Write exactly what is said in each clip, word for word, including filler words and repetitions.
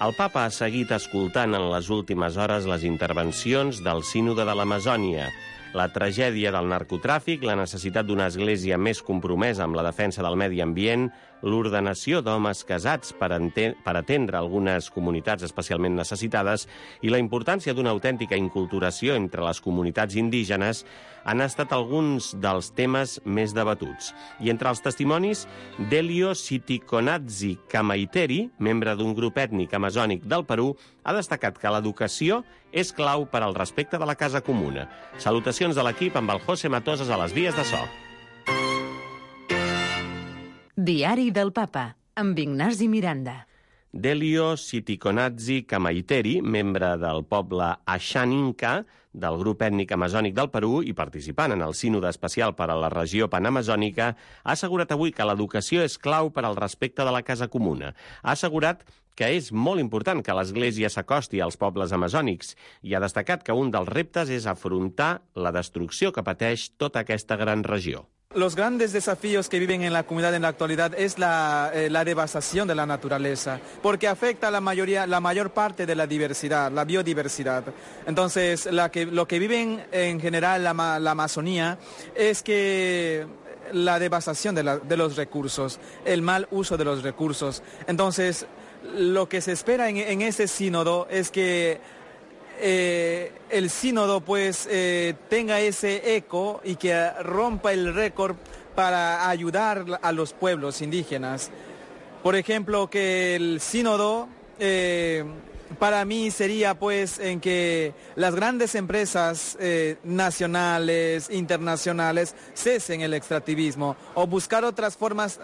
El papa ha seguit escoltant en les últimes hores les intervencions del Sínode de l'Amazònia, la tragèdia del narcotràfic, la necessitat d'una església més compromesa amb la defensa del medi ambient, l'ordenació d'homes casats per, per atendre algunes comunitats especialment necessitades i la importància d'una autèntica inculturació entre les comunitats indígenes han estat alguns dels temes més debatuts. I entre els testimonis, Delio Sitikonadzi Kamaiteri, membre d'un grup ètnic amazònic del Perú, ha destacat que l'educació és clau per al respecte de la casa comuna. Salutacions de l'equip amb el José Matosas a les vies de so. Diari del Papa, amb Ignasi Miranda. Delio Sitikonadzi Kamaiteri, membre del poble Ashaninka, del grup ètnic amazònic del Perú i participant en el sínode especial per a la regió panamazònica, ha assegurat avui que l'educació és clau per al respecte de la casa comuna. Ha assegurat que és molt important que l'Església s'acosti als pobles amazònics i ha destacat que un dels reptes és afrontar la destrucció que pateix tota aquesta gran regió. Los grandes desafíos que viven en la comunidad en la actualidad es la, eh, la devastación de la naturaleza, porque afecta a la mayoría, la mayor parte de la diversidad, la biodiversidad. Entonces, la que, lo que viven en general la, la Amazonía es que la devastación de, la, de los recursos, el mal uso de los recursos. Entonces, lo que se espera en, en ese sínodo es que Eh, el sínodo pues eh, tenga ese eco y que rompa el récord para ayudar a los pueblos indígenas. Por ejemplo, que el sínodo eh, para mí sería pues en que las grandes empresas eh, nacionales, internacionales, cesen el extractivismo o buscar otras formas,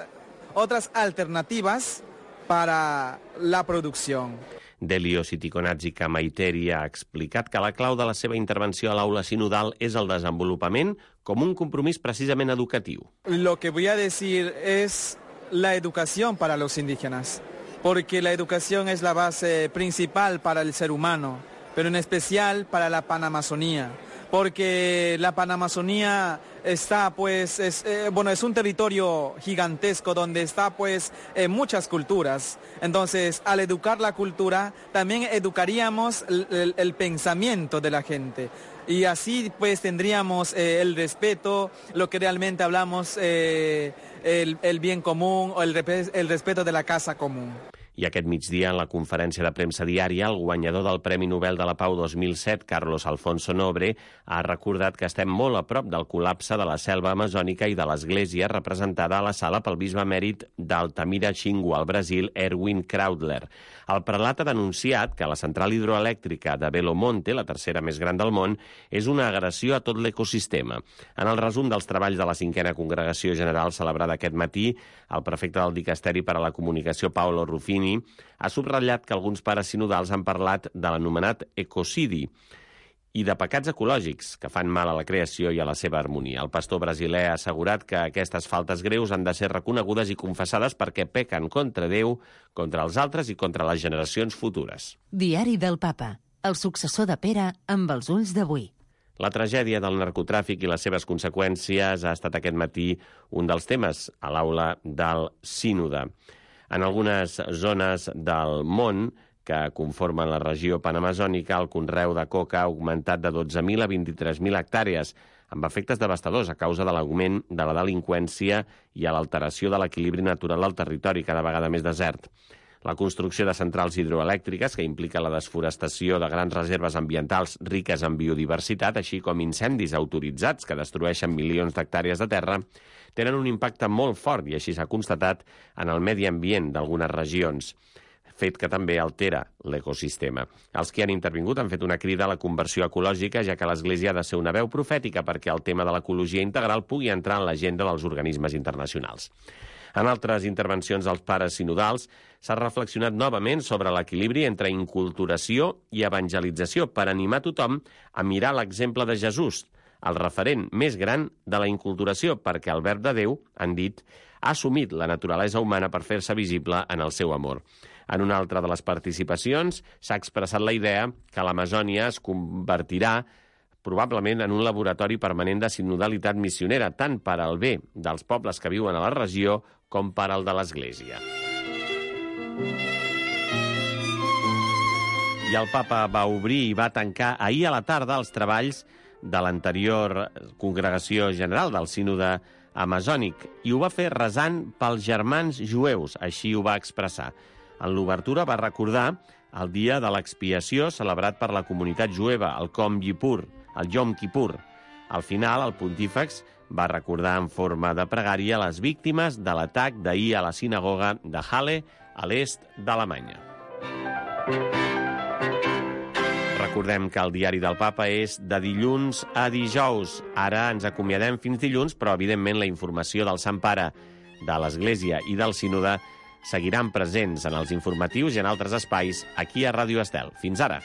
otras alternativas para la producción. Delio Sitikonadzi Kamaiteri ha explicat que la clau de la seva intervenció a l'aula sinodal és el desenvolupament com un compromís precisament educatiu. Lo que voy a decir es la educación para los indígenas, porque la educación es la base principal para el ser humano, pero en especial para la Panamazonía, porque la Panamazonía está pues, es, eh, bueno, es un territorio gigantesco donde está pues eh, muchas culturas. Entonces, al educar la cultura, también educaríamos el, el, el pensamiento de la gente. Y así pues tendríamos eh, el respeto, lo que realmente hablamos, eh, el, el bien común o el, el respeto de la casa común. I aquest migdia, en la conferència de premsa diària, el guanyador del Premi Nobel de la Pau dos mil set, Carlos Alfonso Nobre, ha recordat que estem molt a prop del col·lapse de la selva amazònica i de l'església representada a la sala pel bisbe emèrit d'Altamira Xingu, al Brasil, Erwin Kraudler. El prelat ha denunciat que la central hidroelèctrica de Belo Monte, la tercera més gran del món, és una agressió a tot l'ecosistema. En el resum dels treballs de la cinquena congregació general celebrada aquest matí, el prefecte del Dicasteri per a la Comunicació, Paolo Ruffini, ha subratllat que alguns pares sinodals han parlat de l'anomenat ecocidi i de pecats ecològics que fan mal a la creació i a la seva harmonia. El pastor brasiler ha assegurat que aquestes faltes greus han de ser reconegudes i confessades perquè pequen contra Déu, contra els altres i contra les generacions futures. Diari del Papa, el successor de Pere amb els ulls d'avui. La tragèdia del narcotràfic i les seves conseqüències ha estat aquest matí un dels temes a l'aula del sínode. En algunes zones del món que conformen la regió panamazònica, el conreu de coca ha augmentat de dotze mil a vint-i-tres mil hectàrees, amb efectes devastadors a causa de l'augment de la delinqüència i a l'alteració de l'equilibri natural del territori, cada vegada més desert. La construcció de centrals hidroelèctriques, que implica la desforestació de grans reserves ambientals riques en biodiversitat, així com incendis autoritzats que destrueixen milions d'hectàrees de terra, tenen un impacte molt fort, i així s'ha constatat, en el medi ambient d'algunes regions, fet que també altera l'ecosistema. Els que han intervingut han fet una crida a la conversió ecològica, ja que l'Església ha de ser una veu profètica perquè el tema de l'ecologia integral pugui entrar en l'agenda dels organismes internacionals. En altres intervencions dels pares sinodals s'ha reflexionat novament sobre l'equilibri entre inculturació i evangelització per animar tothom a mirar l'exemple de Jesús, el referent més gran de la inculturació, perquè el verb de Déu, han dit, ha assumit la naturalesa humana per fer-se visible en el seu amor. En una altra de les participacions s'ha expressat la idea que l'Amazònia es convertirà probablement en un laboratori permanent de sinodalitat missionera, tant per al bé dels pobles que viuen a la regió com per al de l'Església. I el papa va obrir i va tancar ahir a la tarda els treballs de l'anterior congregació general del sínode amazònic i ho va fer resant pels germans jueus, així ho va expressar. En l'obertura va recordar el dia de l'expiació celebrat per la comunitat jueva, el Yom Kippur, el Yom Kippur. Al final, el pontífex va recordar en forma de pregària les víctimes de l'atac d'ahir a la sinagoga de Halle, a l'est d'Alemanya. Recordem que el diari del papa és de dilluns a dijous. Ara ens acomiadem fins dilluns, però evidentment la informació del Sant Pare, de l'Església i del Sínode seguiran presents en els informatius i en altres espais aquí a Ràdio Estel. Fins ara!